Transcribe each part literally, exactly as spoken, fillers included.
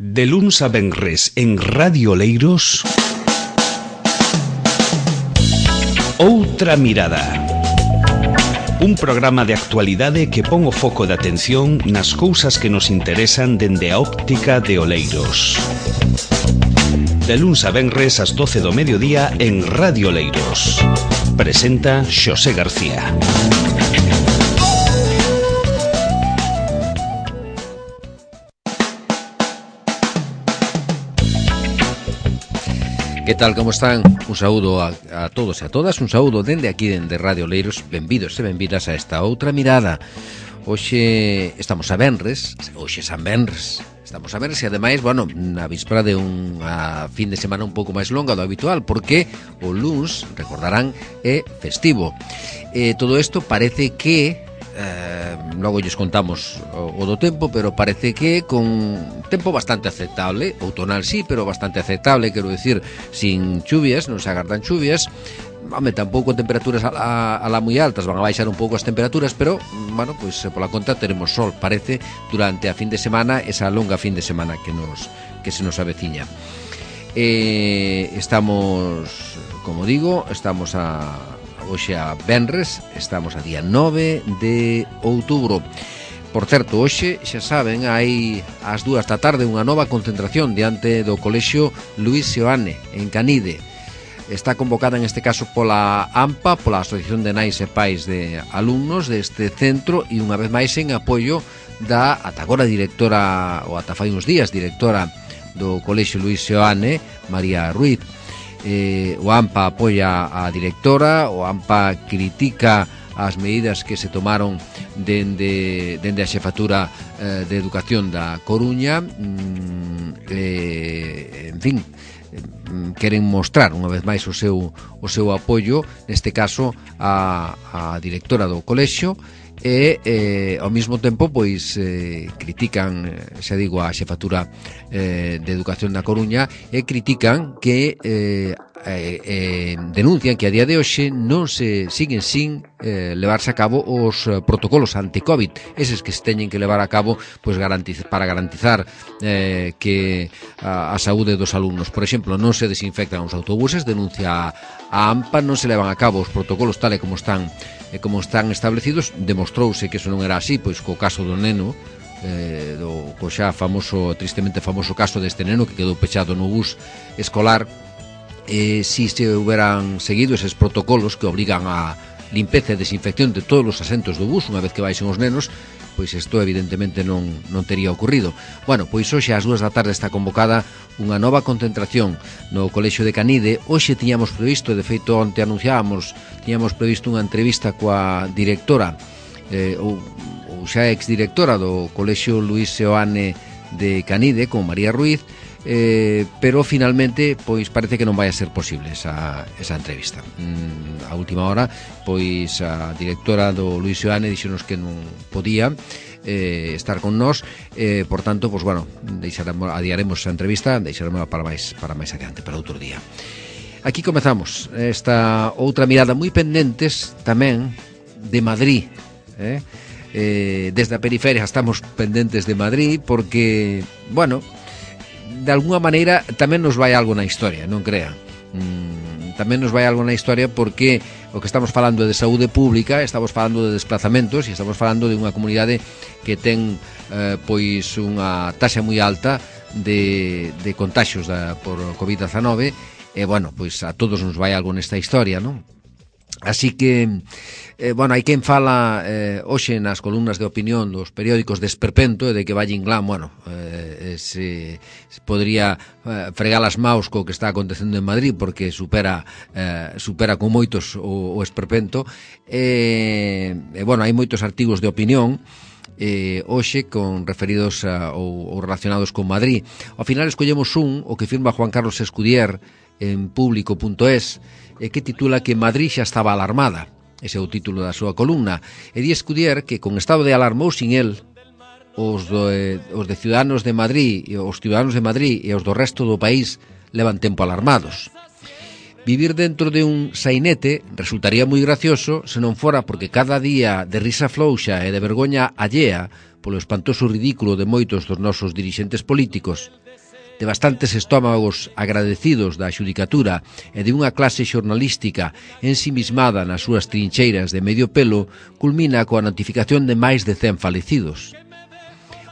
De luns a venres en Radio Oleiros, Outra Mirada. Un programa de actualidade que pon o foco de atención nas cousas que nos interesan dende a óptica de Oleiros. De luns a venres ás doce do mediodía en Radio Oleiros. Presenta Xosé García. Que tal, como están? Un saúdo a, a todos e a todas, un saúdo dende aquí, dende Radio Oleiros. Benvidos e benvidas a esta outra mirada. Hoxe estamos a venres, hoxe San Venres. Estamos a venres e ademais, bueno, na víspera de unha fin de semana un pouco máis longa do habitual, porque o luns, recordarán, é festivo. E todo isto parece que... Eh, logo lles contamos o, o do tempo, pero parece que con tempo bastante aceptable, outonal sí, pero bastante aceptable, quero decir, sin chuvias, non se agardan chuvias. Home, tampouco temperaturas a la, a la moi altas, van a baixar un pouco as temperaturas, pero, bueno, pois pues, pola conta teremos sol, parece, durante a fin de semana, esa longa fin de semana que nos que se nos aveciña. Eh, estamos, como digo, estamos a hoxe a venres, estamos a día nove de outubro. Por certo, hoxe, xa saben, hai ás dúas da tarde unha nova concentración diante do Colexio Luis Seoane, en Canide. Está convocada en este caso pola AMPA, pola Asociación de Nais e Pais de Alumnos deste centro, e unha vez máis en apoio da ata agora directora, ou ata fai uns días, directora do Colexio Luis Seoane, María Ruiz. Eh, o AMPA apoia a directora, o AMPA critica as medidas que se tomaron dende, dende a xefatura eh, de Educación da Coruña. mm, eh, en fin, eh, queren mostrar unha vez máis o seu, o seu apoio, neste caso a, a directora do colexio, e eh, ao mesmo tempo pois eh, critican, xa digo, a xefatura eh, de Educación da Coruña, e critican que eh, eh, eh, denuncian que a día de hoxe non se siguen sin eh, levarse a cabo os protocolos anti-COVID, eses que se teñen que levar a cabo pois garantiz, para garantizar eh, que a, a saúde dos alumnos. Por exemplo, non se desinfectan os autobuses, denuncia a AMPA, non se levan a cabo os protocolos tal e como están e como están establecidos. Demostrouse que eso non era así, pois co caso do neno, eh, do co xa famoso, tristemente famoso caso deste neno que quedou pechado no bus escolar. Eh, si se houberan seguido eses protocolos que obrigan a limpeza e desinfección de todos os asentos do bus unha vez que baixen os nenos, pois isto evidentemente non, non tería ocurrido. Bueno, pois hoxe ás dúas da tarde está convocada unha nova concentración no Colexio de Canide. Hoxe tiñamos previsto, de feito onte anunciábamos, tiñamos previsto unha entrevista coa directora eh, ou, ou xa exdirectora do Colexio Luis Seoane de Canide, con María Ruiz, eh, pero finalmente pois parece que non vai a ser posible esa, esa entrevista. Mm, a última hora pois a directora do Luis Seoane dixonos que non podía eh, estar con nós, eh, por tanto, pois bueno, deixaremos, adiaremos esa entrevista, deixaremos para máis para máis adiante, para outro día. Aquí comezamos esta outra mirada moi pendentes tamén de Madrid, eh? Eh, desde a periferia estamos pendentes de Madrid porque, bueno, de alguna maneira tamén nos vai algo na historia, non crea. Mm, tamén nos vai algo na historia porque o que estamos falando é de saúde pública, estamos falando de desplazamentos e estamos falando de unha comunidade que ten eh, pois unha taxa moi alta de, de contaxios da, por covid diecinueve, e bueno, pois a todos nos vai algo nesta historia, non? Así que, eh, bueno, hai quen fala eh, hoxe nas columnas de opinión dos periódicos de esperpento e de que Valle Inclán, bueno, eh, se, se podría eh, fregar as maus co que está acontecendo en Madrid porque supera eh, supera con moitos o, o esperpento. E, eh, bueno, hai moitos artigos de opinión eh, hoxe con referidos a, ou, ou relacionados con Madrid. Ao final escollemos un, o que firma Juan Carlos Escudier en público punto es, e que titula que Madrid xa estaba alarmada. Ese é o título da súa columna. E di Escudier que con estado de alarma ou sin el, os, do, eh, os de Ciudadanos de Madrid, os Ciudadanos de Madrid e os do resto do país levan tempo alarmados. Vivir dentro de un sainete resultaría moi gracioso se non fora porque cada día de risa flouxa e de vergoña allea polo espantoso ridículo de moitos dos nosos dirixentes políticos, de bastantes estómagos agradecidos da xudicatura e de unha clase xornalística ensimismada nas súas trincheiras de medio pelo, culmina coa notificación de máis de cen falecidos.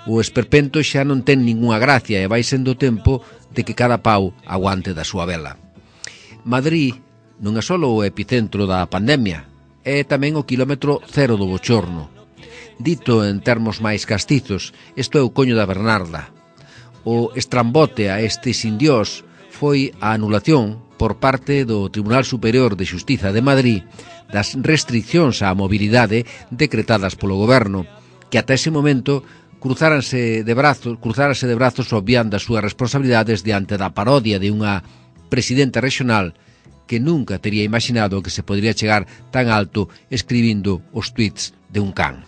O esperpento xa non ten ningunha gracia e vai sendo tempo de que cada pau aguante da súa vela. Madrid non é só o epicentro da pandemia, é tamén o quilómetro cero do bochorno. Dito en termos máis castizos, isto é o coño da Bernarda. O estrambote a este sin Dios foi a anulación por parte do Tribunal Superior de Xustiza de Madrid das restriccións á mobilidade decretadas polo goberno, que ata ese momento cruzáranse de brazos, cruzárase de brazos obviando as súas responsabilidades diante da parodia de unha presidenta regional que nunca tería imaginado que se podría chegar tan alto escribindo os tweets de un can.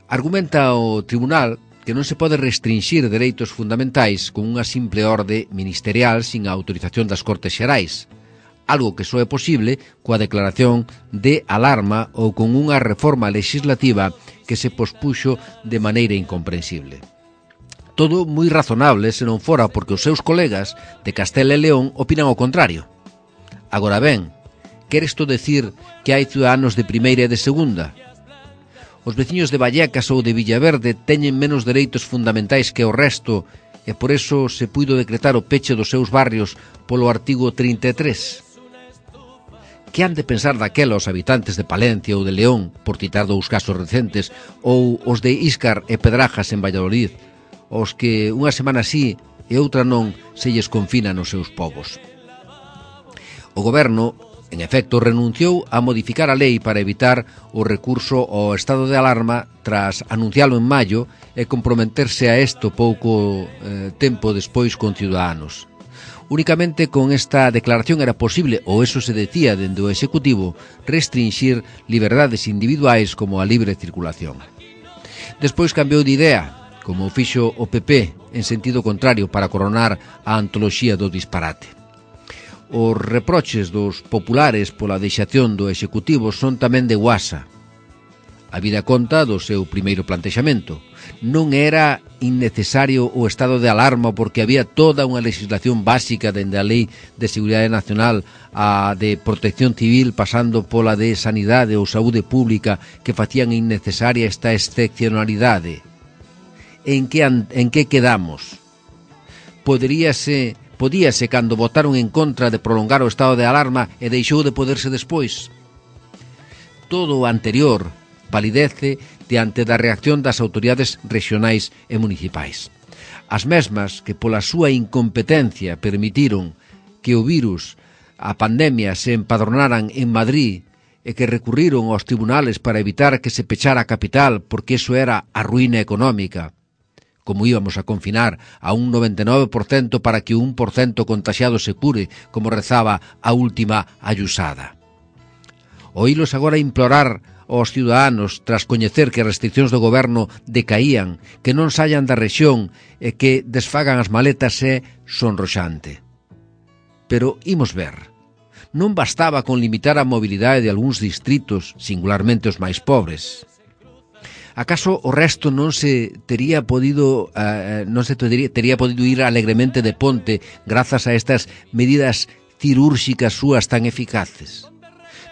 Argumenta o tribunal que non se pode restringir dereitos fundamentais con unha simple orde ministerial sin a autorización das Cortes Xerais, algo que só é posible coa declaración de alarma ou con unha reforma legislativa que se pospuxo de maneira incomprensible. Todo moi razonable se non fora porque os seus colegas de Castela e León opinan o contrario. Agora ben, quere isto decir que hai ciudadanos de primeira e de segunda? Os veciños de Vallecas ou de Villaverde teñen menos dereitos fundamentais que o resto e por eso se puido decretar o peche dos seus barrios polo artigo trinta e tres. Que han de pensar daquela os habitantes de Palencia ou de León, por citar dous casos recentes, ou os de Íscar e Pedrajas en Valladolid, os que unha semana sí e outra non se lles confina nos seus povos. O goberno, en efecto, renunciou a modificar a lei para evitar o recurso ao estado de alarma tras anuncialo en maio e comprometerse a isto pouco eh, tempo despois con Ciudadanos. Únicamente con esta declaración era posible, ou eso se decía dende o Executivo, restringir liberdades individuais como a libre circulación. Despois cambiou de idea, como fixo o P P en sentido contrario para coronar a antoloxía do disparate. Os reproches dos populares pola deixación do Executivo son tamén de guasa. A vida conta do seu primeiro plantexamento. Non era innecesario o estado de alarma porque había toda unha legislación básica dende a Lei de Seguridade Nacional a de Protección Civil pasando pola de Sanidade ou Saúde Pública que facían innecesaria esta excepcionalidade. En que, en que quedamos? Poderíase, podíase cando votaron en contra de prolongar o estado de alarma e deixou de poderse despois. Todo o anterior validece diante da reacción das autoridades regionais e municipais. As mesmas que pola súa incompetencia permitiron que o virus, a pandemia, se empadronaran en Madrid e que recurriron aos tribunales para evitar que se pechara a capital porque iso era a ruína económica. Como íbamos a confinar a un noventa e nove por cento para que o un por cento contaxiado se cure, como rezaba a última ayusada. Oílos agora implorar aos ciudadanos tras coñecer que as restriccións do goberno decaían, que non saian da rexión e que desfagan as maletas é sonroxante. Pero imos ver. Non bastaba con limitar a mobilidade de algúns distritos, singularmente os máis pobres. Acaso o resto non se tería podido uh, non se tería, tería podido ir alegremente de ponte grazas a estas medidas cirúrxicas súas tan eficaces?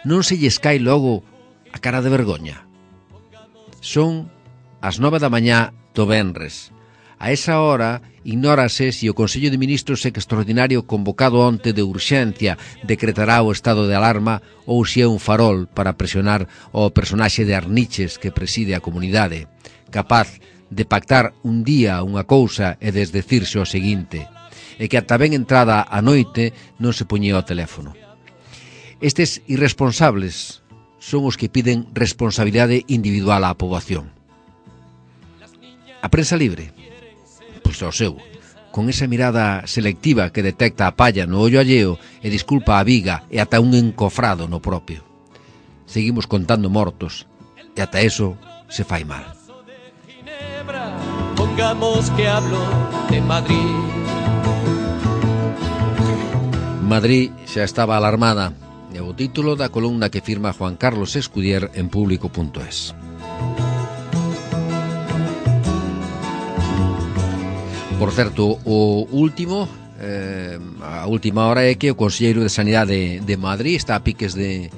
Non se lles cae logo a cara de vergoña? Son as nove da mañá do venres. A esa hora ignórase se o Consello de Ministros extraordinario convocado onte de urxencia decretará o estado de alarma ou se é un farol para presionar o personaxe de Arniches que preside a comunidade, capaz de pactar un día unha cousa e desdecirse o seguinte, e que ata ben entrada a noite non se poñía o teléfono. Estes irresponsables son os que piden responsabilidade individual á poboación. A prensa libre? Pois ao seu, con esa mirada selectiva que detecta a palla no ollo alleo e disculpa a viga e ata un encofrado no propio. Seguimos contando mortos e ata eso se fai mal. Pongamos que hablo de Madrid. Madrid xa estaba alarmada. É o título da columna que firma Juan Carlos Escudier en público punto es. Por certo, o último, eh, a última hora é que o Conselleiro de Sanidade de Madrid está a piques de,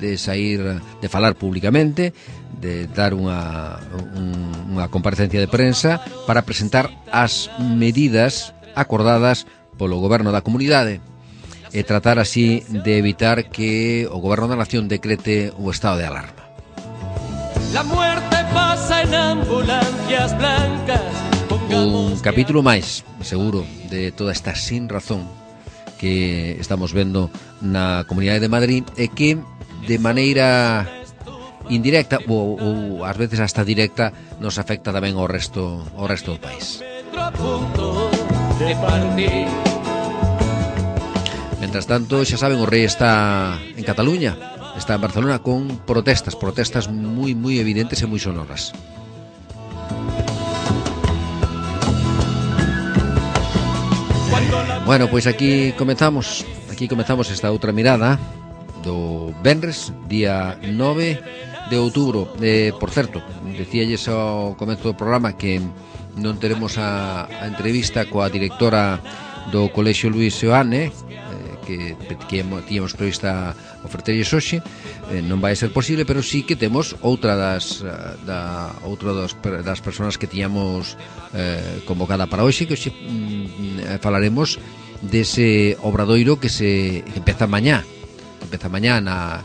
de sair, de falar públicamente, de dar unha, un, unha comparecencia de prensa para presentar as medidas acordadas polo Goberno da Comunidade e tratar así de evitar que o Goberno da Nación decrete o estado de alarma. La muerte pasa en ambulancias blancas. Un capítulo máis, seguro, de toda esta sin razón que estamos vendo na Comunidade de Madrid e que de maneira indirecta ou, ou ás veces hasta directa nos afecta tamén ao resto ao resto do país. Mentras tanto, xa saben, o rei está en Cataluña, está en Barcelona con protestas, protestas moi moi evidentes e moi sonoras. Bueno, pois aquí comezamos Aquí comezamos esta outra mirada do venres, día nove de outubro. eh, Por certo, decíalles ao comezo do programa que non teremos a, a entrevista coa directora do Colexio Luis Seoane, eh, que, que tíamos prevista oferterlles hoxe. eh, Non vai ser posible, pero sí que temos outra das da, outra das, das persoas que tiñamos eh, convocada para hoxe, que hoxe mm, falaremos dese obradoiro que se que empeza mañá que empeza mañá na,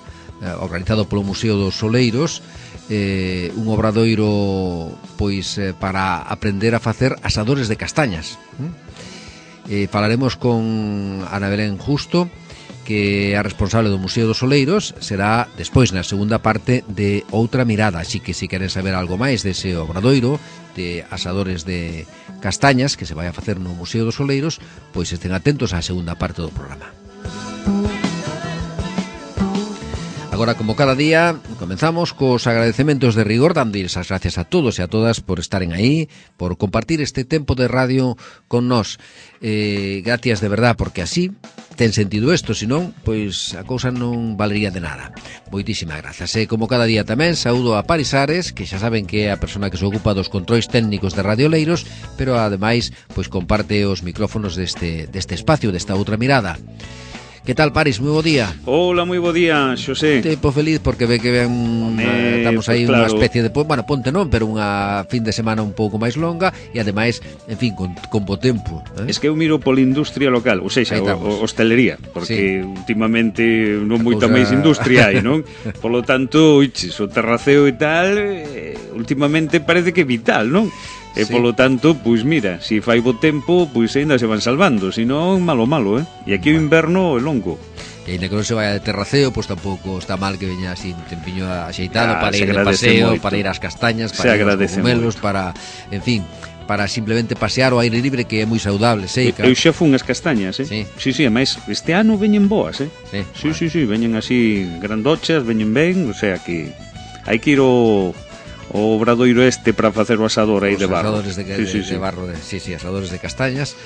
organizado polo Museo dos Oleiros, eh, un obradoiro pois eh, para aprender a facer asadores de castañas. eh, Falaremos con Ana Belén Justo, que é a responsable do Museo dos Oleiros. Será despois na segunda parte de Outra Mirada, así que se queren saber algo máis dese obradoiro de asadores de castañas que se vai a facer no Museo dos Oleiros, pois estén atentos á segunda parte do programa. Agora, como cada día, comenzamos cos agradecementos de rigor, dándoles as gracias a todos e a todas por estaren aí, por compartir este tempo de radio con nós. Eh, gracias de verdad, porque así ten sentido isto, senón, pois a cousa non valería de nada. Moitísimas grazas. E como cada día tamén, saúdo a Paris Ares, que xa saben que é a persona que se ocupa dos controis técnicos de Radio Oleiros, pero ademais, pois comparte os micrófonos deste, deste espacio, desta outra mirada. Que tal, Paris? Moi bo día. Hola, moi bo día, Xosé. Tempo feliz porque ve que ven Home, estamos pues aí claro. Unha especie de, bueno, ponte non, pero unha fin de semana un pouco máis longa e ademais, en fin, con, con bo tempo, eh? Es que eu miro pola industria local, ou seja, o, o, hostelería, porque sí, últimamente non moita cousa... máis industria hai, non? Polo tanto, oiches, o terraceo e tal, eh, últimamente parece que é vital, non? E sí, polo tanto, pois mira, se si fai bo tempo, pois ainda se van salvando, senón malo malo, eh? E aquí o inverno é longo. E ainda que non se vaya de terraceo, pois tampouco está mal que veña así un tempiño axeitado, ah, para ir de paseo, moito, para ir ás castañas, para ir aos cogumelos, para, en fin, para simplemente pasear ao aire libre, que é moi saudable, sei, claro. Eu xa fun as castañas, eh? Sí, sí, sí, ademais, este ano veñen boas, eh? Sí, sí, bueno. sí, sí, veñen así grandochas, veñen ben, o sea que hai que ir ao... o obradoiro este para facer o asador aí de barro. Asadores de, sí, de, sí, de sí. barro, de, sí, sí, asadores de castañas.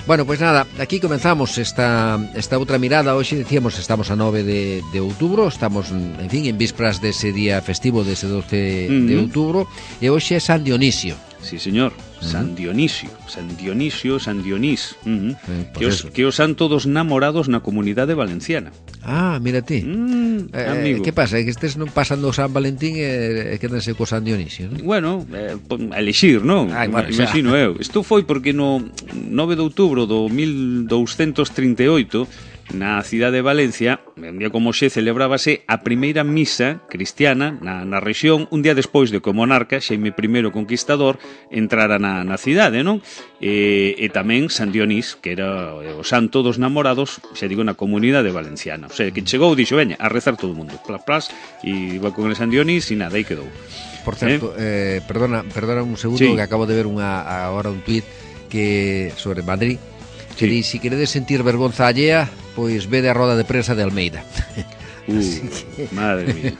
Bueno, pues nada, aquí comenzamos esta esta outra mirada. Hoxe decíamos, estamos a nove de, de outubro, estamos, en fin, en vísperas dese día festivo, dese doce uh-huh. de outubro, e hoxe é San Dionisio. Sí, señor, uh-huh. San Dionisio, San Dionisio, San Dionís, uh-huh. sí, pues que, os, que os santo dos namorados na comunidade valenciana. Ah, mira ti. Mm, eh, amigo. Que pasa? É que estes non pasan do San Valentín e, e quedanse co San Dionisio, non? Bueno, eh, a elixir, non? Ay, bueno, imagino eu. Isto foi porque no nove de outubro do mil douscentos trinta e oito, na cidade de Valencia, un día como xe, celebrábase a primeira misa cristiana na, na rexión, un día despois de que o monarca, Xaime I Conquistador, entrara na, na cidade, non? E, e tamén San Dionís, que era o santo dos namorados, xa digo, na comunidade valenciana. O sea, que chegou, dixo, veña, a rezar todo o mundo, plas, plas, e iba con el San Dionís, e nada, aí quedou. Por certo, eh? Eh, perdona, perdona un segundo, sí, que acabo de ver unha agora un tuit que sobre Madrid, que sí, di, si queredes sentir vergonza allea, pois vede a roda de prensa de Almeida. Uh, que... Madre mía.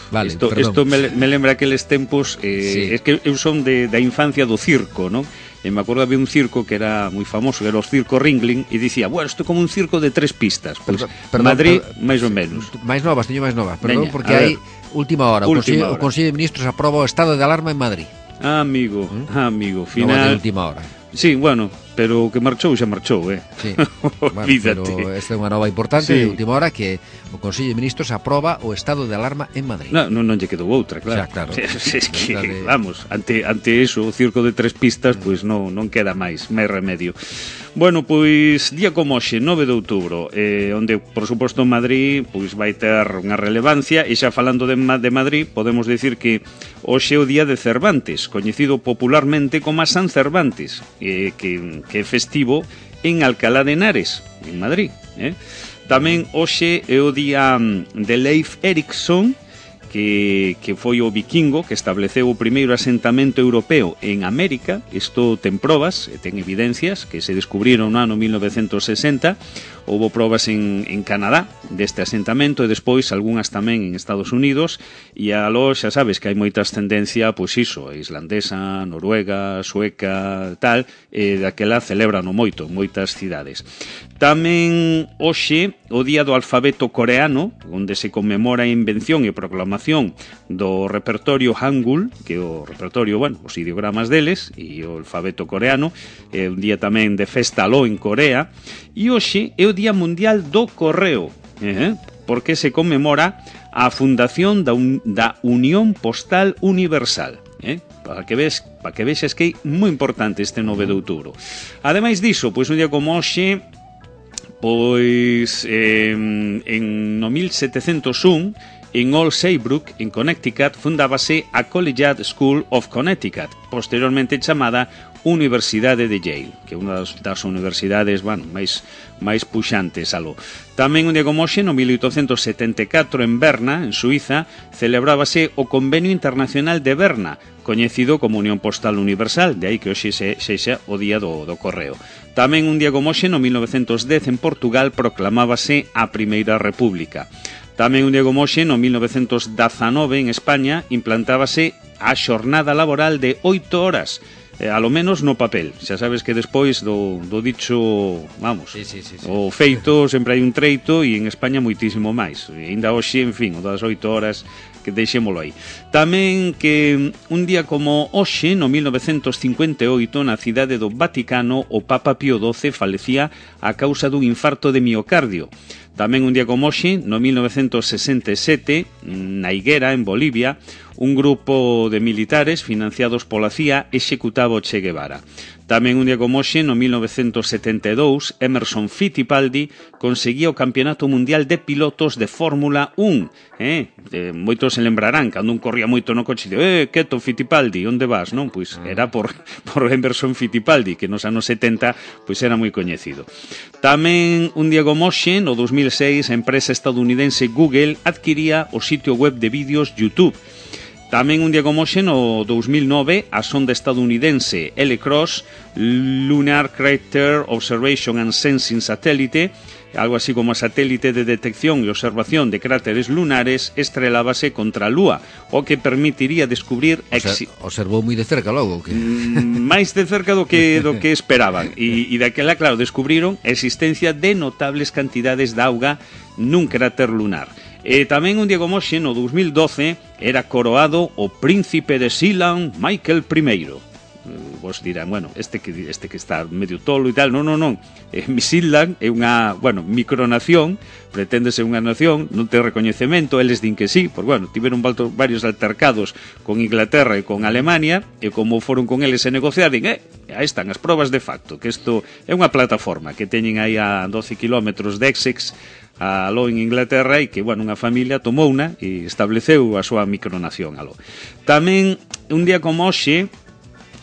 Vale, isto, isto me, me lembra aqueles tempos, eh, sí, es que eu son de, da infancia do circo, non? e me acordo había un circo que era moi famoso, que era o Circo Ringling, e dicía, bueno, isto é como un circo de tres pistas. Pois pues, Madrid, máis ou menos. Máis novas, teño máis novas, perdón, Veña, porque hai última hora, o última Consello, hora. o Consello de Ministros aproba o estado de alarma en Madrid. Ah, amigo, ¿Mm? ah, amigo, final... Nova de última hora. Sí, bueno, pero o que marchou xa marchou, eh? Sí, bueno, pero esta é unha nova importante sí. de última hora que o Consello de Ministros aproba o estado de alarma en Madrid. No, non, non lle quedou outra, claro. Xa, claro. Es que, de... vamos, ante, ante eso, o circo de tres pistas, pois pues, non, non queda máis, máis remedio. Bueno, pois, día como hoxe, nove de outubro, eh, onde, por suposto, Madrid pois vai ter unha relevancia, e xa falando de, de Madrid, podemos decir que hoxe é o día de Cervantes, coñecido popularmente como a San Cervantes, eh, que, que é festivo en Alcalá de Henares, en Madrid. Eh? Tamén hoxe é o día de Leif Erikson, que, que foi o vikingo que estableceu o primeiro asentamento europeo en América. Isto ten probas, ten evidencias que se descubriron no ano mil novecentos sesenta. Houbo probas en, en Canadá deste asentamento e despois algunhas tamén en Estados Unidos, e aló xa sabes que hai moita ascendencia, pois iso, islandesa, noruega, sueca, tal, e daquela celebran moito en moitas cidades. Tamén hoxe o día do alfabeto coreano, onde se conmemora a invención e proclamación do repertorio Hangul, que é o repertorio, bueno, os ideogramas deles, e o alfabeto coreano. É un día tamén de festa aló en Corea. E hoxe é o Día Mundial do Correo, eh? porque se conmemora a fundación da, un, da Unión Postal Universal. Eh? Para que ves, para que vexas que é moi importante este nove de outubro. Ademais diso, pois un día como hoxe, pois eh, en no mil setecentos un, en Old Saybrook, en Connecticut, fundábase a Collegiate School of Connecticut, posteriormente chamada Universidade de Yale, que é unha das, das universidades, bueno, máis, máis puxantes aló. Tamén un día como hoxe, no mil oitocentos setenta e catro, en Berna, en Suiza, celebrábase o Convenio Internacional de Berna, coñecido como Unión Postal Universal, de aí que hoxe se, sexa o Día do, do Correo. Tamén un día como hoxe, no mil novecentos dez, en Portugal, proclamábase a Primeira República. Tamén un día como hoxe, no mil novecentos dezanove, en España, implantábase a xornada laboral de oito horas, eh, a lo menos no papel. Xa sabes que despois do, do dicho, vamos, sí, sí, sí, sí. o feito sempre hai un treito, e en España moitísimo máis. E ainda hoxe, en fin, o das oito horas, que deixémolo aí. Tamén que un día como hoxe, no mil novecentos cincuenta e oito, na cidade do Vaticano, o Papa Pío doce falecía a causa dun infarto de miocardio. Tamén un día como hoxe, no mil novecentos sesenta e sete, na Higuera, en Bolivia, un grupo de militares financiados pola C I A executaba o Che Guevara. Tamén un día como hoxe, no mil novecentos setenta e dous, Emerson Fittipaldi conseguía o Campeonato Mundial de Pilotos de Fórmula un. Eh? Eh, moitos se lembrarán, cando un corría moito no coche, de, eh, quieto Fittipaldi, onde vas? Non, pois era por, por Emerson Fittipaldi, que nos anos setenta pois era moi coñecido. Tamén un día como hoxe, no dos mil seis, a empresa estadounidense Google adquiría o sitio web de vídeos YouTube. Tamén un día como hoxe, no dos mil nove, a sonda estadounidense L CROSS, Lunar Crater Observation and Sensing Satellite, algo así como a satélite de detección e observación de cráteres lunares, estrelábase contra a Lúa, o que permitiría descubrir... O sea, observou moi de cerca logo, que... máis de cerca do que, do que esperaban. E, e daquela, claro, descubriron a existencia de notables cantidades de auga nun cráter lunar. E tamén un día como hoxe, no dos mil doce, era coroado o príncipe de Sealand, Michael primeiro. Vos dirán, bueno, este que este que está medio tolo e tal. Non, non, non. Eh, Sealand é unha, bueno, micronación, preténdese unha nación, non ten recoñecemento, eles din que sí, por bueno, tiveron varios altercados con Inglaterra e con Alemania, e como foron con eles a negociar, din, eh, aí están as probas de facto, que isto é unha plataforma que teñen aí a doce kilómetros de Essex, aló en Inglaterra, e que, bueno, unha familia tomou unha e estableceu a súa micronación aló. Tamén, un día como hoxe,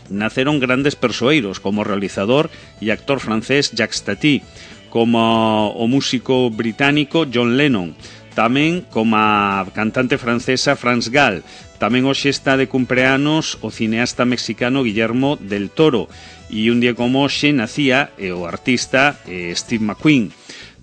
naceron grandes persoeiros, como o realizador e actor francés Jacques Tati, como o músico británico John Lennon, tamén como a cantante francesa France Gall. Tamén hoxe está de cumpleanos o cineasta mexicano Guillermo del Toro, e un día como hoxe nacía o artista eh, Steve McQueen.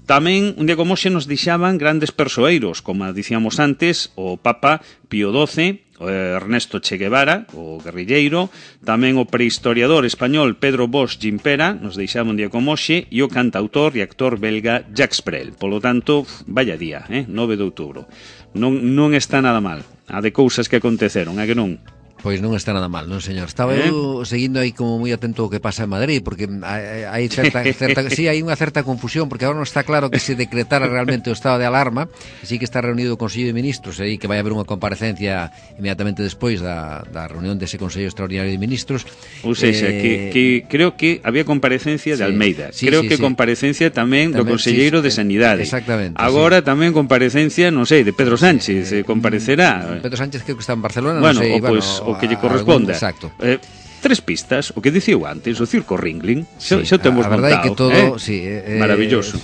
Tamén, un día como hoxe, nos deixaban grandes persoeiros, como dicíamos antes, o Papa Pío doce, Ernesto Che Guevara, o guerrilleiro, tamén o prehistoriador español Pedro Bosch Gimpera, nos deixamos un día como hoxe, e o cantautor e actor belga Jacques Brel. Polo tanto, vaya día, eh? nove de outubro. Non, non está nada mal, a de cousas que aconteceron, a que non? Pois non está nada mal, non señor. Estaba eh? eu seguindo aí como moi atento ao que pasa en Madrid, porque hai, hai certa, certa sí, hai unha certa confusión, porque agora non está claro que se decretara realmente o estado de alarma. Sí que está reunido o Consello de Ministros, aí que vai haber unha comparecencia inmediatamente despois da, da reunión dese Consello Extraordinario de Ministros. Ou seja, eh, que, que creo que había comparecencia de sí, Almeida, sí, creo sí, que sí. comparecencia tamén, tamén do Conselleiro sí, de Sanidade. Exactamente. Agora sí. tamén comparecencia, non sei, de Pedro Sánchez, sí, sí. comparecerá. Pedro Sánchez creo que está en Barcelona, bueno, non sei, o, pues, bueno, o que lle corresponda. Exacto. Eh, tres pistas, o que dicíu antes, o circo Ringling, xa, sí, xa temos a verdade montado, que todo, eh? sí, eh, maravilloso.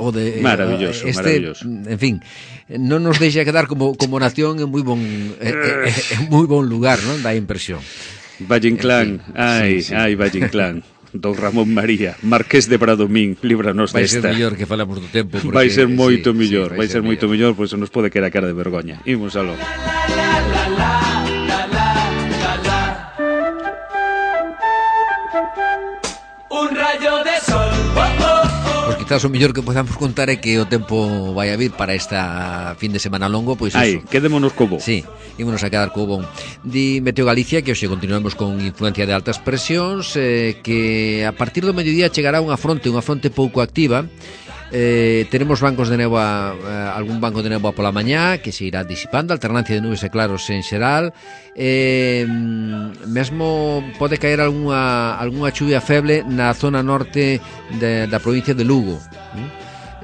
O de maravilloso, este, maravilloso. En fin, non nos deixa quedar como como nación en moi bon eh, eh, en moi bon lugar, non? Dá impresión. Valle Inclán, en fin, ai, sí, sí. ai, Valle Inclán. Don Ramón María, Marqués de Bradomín, líbranos desta. Vai ser mellor que falamos do tempo porque, vai ser moito sí, mellor, sí, vai ser, ser moito mellor, pois pues, nos pode quedar a cara de vergoña. Imos aló. Un rayo de sol. Oh, oh, oh. Pois quizás o mellor que podamos contar é que o tempo vai a vir para esta fin de semana longo, pois Ai, eso. quedémonos co bo. Sí, ímonos a quedar co bon. Di Meteo Galicia que hoxe continuamos con influencia de altas presións, eh, que a partir do mediodía chegará unha fronte, unha fronte pouco activa. Eh, tenemos bancos de néboa, eh, algún banco de néboa pola mañá que se irá disipando, alternancia de nubes e claros en xeral. Eh, mesmo pode caer algunha, algunha chuvia feble na zona norte de, da provincia de Lugo.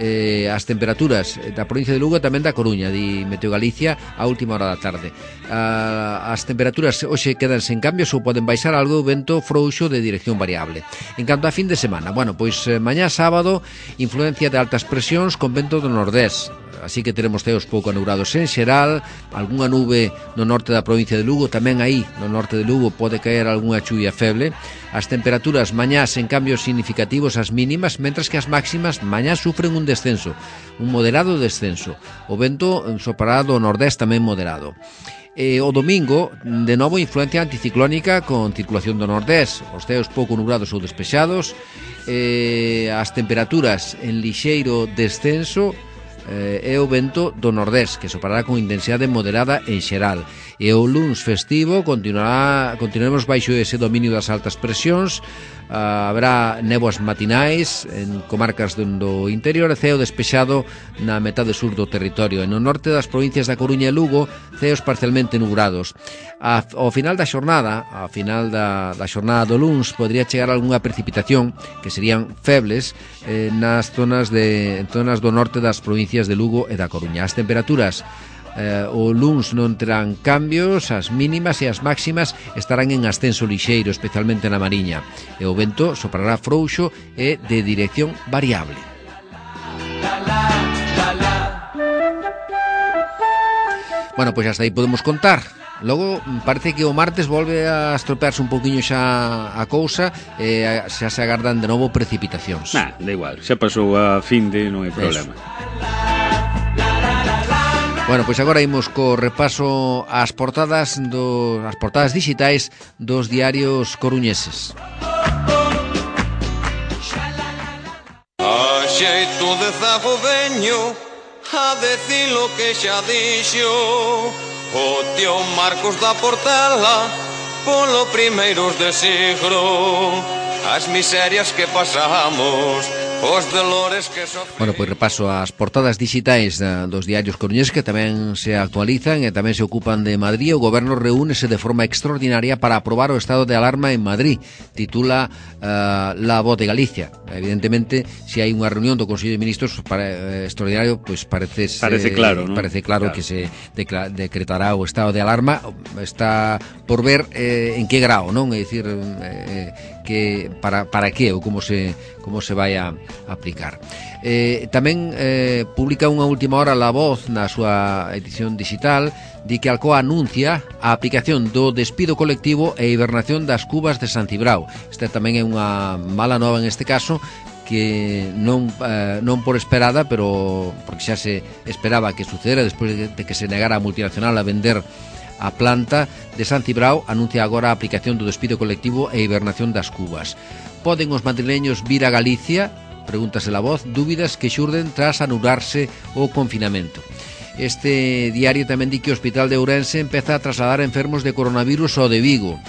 Eh, as temperaturas da provincia de Lugo e tamén da Coruña, di Meteo Galicia, a última hora da tarde. Ah, as temperaturas hoxe quedan sen cambios ou poden baixar algo o vento frouxo de dirección variable. En canto a fin de semana, bueno, pois eh, mañá sábado, influencia de altas presións con vento do nordés. Así que teremos ceos pouco anurados en xeral, algunha nube no norte da provincia de Lugo, tamén aí no norte de Lugo pode caer algunha chuvia feble. As temperaturas mañás en cambios significativos as mínimas, mentras que as máximas mañá sufren un descenso, un moderado descenso. O vento soprará do nordés tamén moderado. E o domingo, de novo, influencia anticiclónica con circulación do nordés, os ceos pouco nublados ou despexados, e as temperaturas en lixeiro descenso, eh, é o vento do nordés que soprará con intensidade moderada en xeral. E o luns festivo continuará, continuaremos baixo ese dominio das altas presións. Uh, haberá néboas matinais en comarcas do, do interior e ceo despexado na metade sur do territorio. E no norte das provincias da Coruña e Lugo, ceos parcialmente nubrados. A, ao final da xornada, ao final da, da xornada do luns, podría chegar algunha precipitación que serían febles eh, nas zonas de en zonas do norte das provincias de Lugo e da Coruña. As temperaturas Eh, o luns non terán cambios, as mínimas e as máximas estarán en ascenso lixeiro, especialmente na Mariña, e o vento soprará frouxo e de dirección variable. Bueno, pois hasta aí podemos contar. Logo parece que o martes volve a estropearse un poquinho xa a cousa e xa se agardan de novo precipitacións. Nah, da igual, xa pasou a fin de, non hai problema. Eso. Bueno, pois agora imos co repaso ás portadas do, as portadas digitais dos diarios coruñeses. A xeito de zago veño a decir lo que xa dixo o tío Marcos da Portela polo primeiros de siglo, as miserias que pasamos, os dolores que sofrimos. Bueno, pois repaso as portadas digitais uh, dos diarios coruñeses que tamén se actualizan e tamén se ocupan de Madrid. O goberno reúnese de forma extraordinaria para aprobar o estado de alarma en Madrid, titula uh, La Voz de Galicia. Evidentemente, se si hai unha reunión do Consello de Ministros para, eh, extraordinario, pois parece parece claro, ¿no? Parece claro, claro que se decla- decretará o estado de alarma. Está por ver eh, en que grao, non? É dicir, eh, que para para que ou como se como se vai a aplicar. Eh, tamén eh, publica unha última hora La Voz na súa edición digital, di que Alcoa anuncia a aplicación do despido colectivo e hibernación das cubas de San Cibrao. Esta tamén é unha mala nova en este caso, que non eh, non por esperada, pero porque xa se esperaba que sucedera despois de, de que se negara a multinacional a vender A planta de San Cibrao anuncia agora a aplicación do despido colectivo e hibernación das cubas. Poden os madrileños vir a Galicia? Pregúntase a voz, dúbidas que xurden tras anularse o confinamento. Este diario tamén di que o Hospital de Ourense empeza a trasladar enfermos de coronavirus ao de Vigo.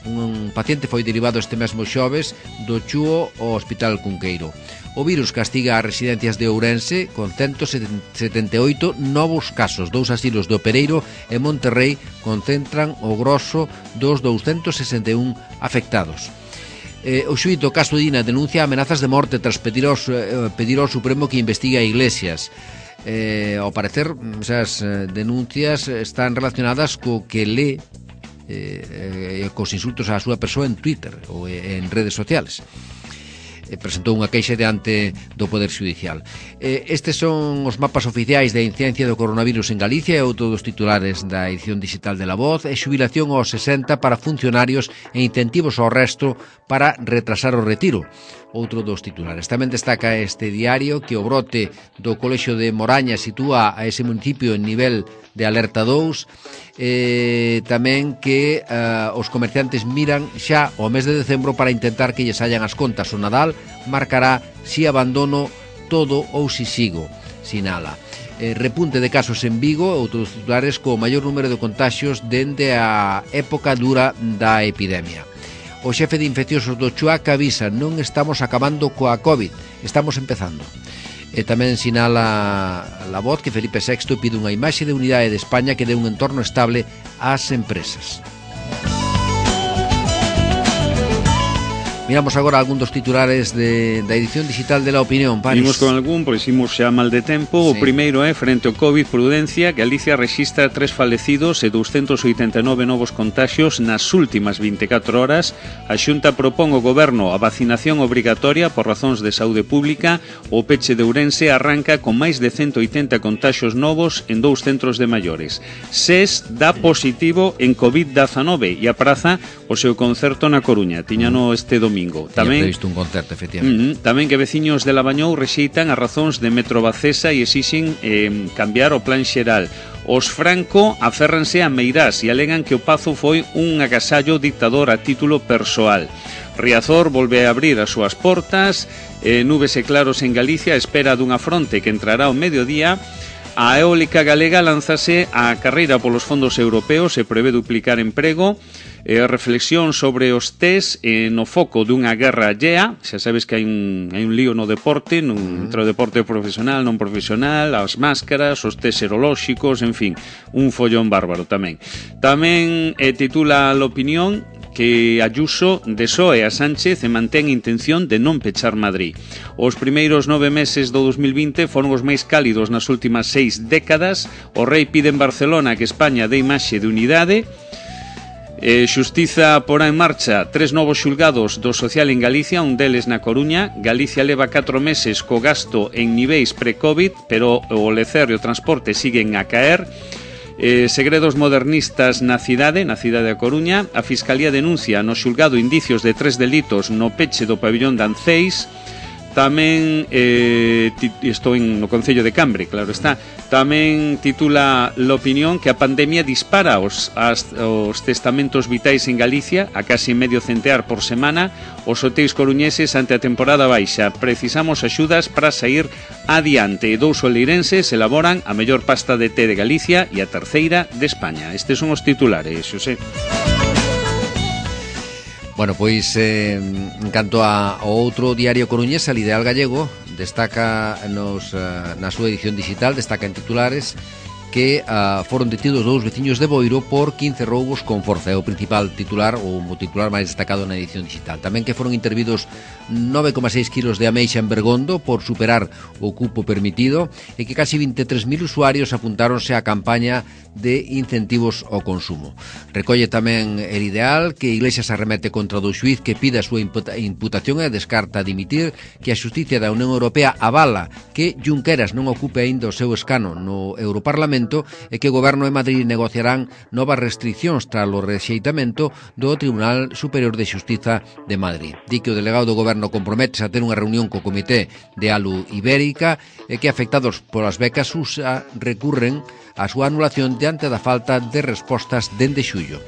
Un paciente foi derivado este mesmo xoves do Chúo ao Hospital Cunqueiro. O virus castiga as residencias de Ourense con ciento setenta e oito novos casos. Dous asilos do Pereiro e Monterrey concentran o grosso dos douscentos sesenta e un afectados. Eh, o xuíz do caso Dina denuncia amenazas de morte tras pedir ao, eh, pedir ao Supremo que investigue a Iglesias. Eh, ao parecer, esas denuncias están relacionadas co que lé eh, eh, cos insultos á súa persoa en Twitter ou en redes sociales. Eh, presentou unha queixa diante do Poder Xudicial. Eh, estes son os mapas oficiais da incidencia do coronavirus en Galicia e outro dos titulares da edición digital de La Voz e xubilación aos sesenta para funcionarios e incentivos ao resto para retrasar o retiro. Outro dos titulares. Tamén destaca este diario que o brote do Colexio de Moraña sitúa a ese municipio en nivel de alerta dous, eh, tamén que eh, os comerciantes miran xa o mes de decembro para intentar que lles hallan as contas. O Nadal marcará si abandono todo ou si sigo, sinala. Eh, repunte de casos en Vigo, outros titulares co maior número de contaxios dende a época dura da epidemia. O xefe de infecciosos do Chuac avisa: non estamos acabando coa COVID, estamos empezando. E tamén sinala La Voz que Felipe sexto pide unha imaxe de unidade de España que dé un entorno estable ás empresas. Miramos agora algún dos titulares de, da edición digital de La Opinión, Paris. Vimos con algún, pois imos xa mal de tempo. Sí. O primeiro é, frente ao COVID, prudencia. Galicia rexistra tres falecidos e douscentos oitenta e nove novos contaxios nas últimas vinte e catro horas. A Xunta propón ao Goberno a vacinación obrigatoria por razóns de saúde pública. O peche de Ourense arranca con máis de cento oitenta contaxios novos en dous centros de maiores. SES dá positivo en COVID dezanove e apraza o seu concerto na Coruña. Tiñano este domingo. Tamén previsto un concerto, efectivamente. Uh, tamén que veciños de Labañou rexeitan as razóns de Metro Bacesa e exixen eh, cambiar o plan xeral. Os Franco aférranse a Meirás e alegan que o Pazo foi un agasallo dictador a título persoal. Riazor volve a abrir as súas portas, eh, nubes e claros en Galicia, espera dunha fronte que entrará ao mediodía. A eólica galega lanzase á carreira polos fondos europeos e prevé duplicar emprego. E a reflexión sobre os test eh, no foco dunha guerra allea. Xa sabes que hai un, hai un lío no deporte, no, entre o deporte profesional, non profesional, as máscaras, os test serolóxicos, en fin, un follón bárbaro tamén. Tamén eh, titula a Opinión que Ayuso desoe a Sánchez e mantén intención de non pechar Madrid. Os primeiros nove meses do dos mil vinte foron os máis cálidos nas últimas seis décadas. O rei pide en Barcelona que España dé imaxe de unidade. Eh, Xustiza porá en marcha tres novos xulgados do social en Galicia, un deles na Coruña. Galicia leva catro meses co gasto en niveis pre-COVID, pero o lecer e o transporte siguen a caer. Eh, segredos modernistas na cidade, na cidade da Coruña. A Fiscalía denuncia no xulgado indicios de tres delitos no peche do pabillón de Anceis. Tamén eh, estou en no Concello de Cambre, claro está. Tamén titula La Opinión que a pandemia dispara os, as, os testamentos vitais en Galicia a casi medio centear por semana. Os hotéis coruñeses ante a temporada baixa. Precisamos axudas para sair adiante. Dous oleirenses elaboran a mellor pasta de té de Galicia e a terceira de España. Estes son os titulares, Xosé. Bueno, pois eh, en canto a, ao outro diario coruñés, El Ideal Gallego, destaca nos, uh, na súa edición digital, destaca en titulares que uh, foron detidos dous veciños de Boiro por quince roubos con forza. É o principal titular, ou o titular máis destacado na edición digital. Tamén que foron intervidos nove coma seis kilos de ameixa en Bergondo por superar o cupo permitido e que casi vinte e tres mil usuarios apuntáronse á campaña de incentivos ao consumo. Recolle tamén El Ideal que Iglesias arremete contra o xuiz que pide a súa imputación e descarta dimitir, que a Xusticia da Unión Europea avala que Junqueras non ocupe aínda o seu escano no Europarlamento momento é que o Goberno e Madrid negociarán novas restriccións tras o rexeitamento do Tribunal Superior de Xustiza de Madrid. Di que o delegado do Goberno comprométese a ter unha reunión co Comité de Alu Ibérica e que afectados polas becas U S A recurren a súa anulación diante da falta de respostas dende xullo.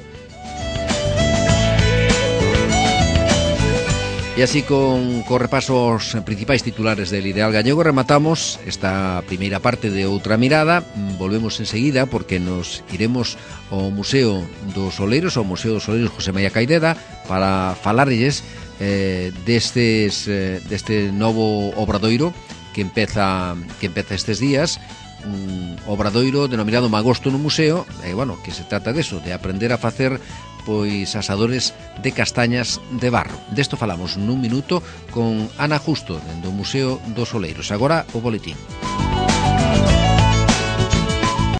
E así con, con repaso aos principais titulares del Ideal Gallego rematamos esta primeira parte de Outra Mirada. Volvemos enseguida porque nos iremos ao Museo dos Oleiros, ao Museo dos Oleiros José María Caideda, para falarlles eh, destes, eh, deste novo obradoiro que empeza, que empeza estes días, un obradoiro denominado Magosto no Museo, e, bueno, que se trata deso, de aprender a facer pois asadores de castañas de barro. Desto falamos nun minuto con Ana Justo, dentro do Museo dos Oleiros. Agora o boletín.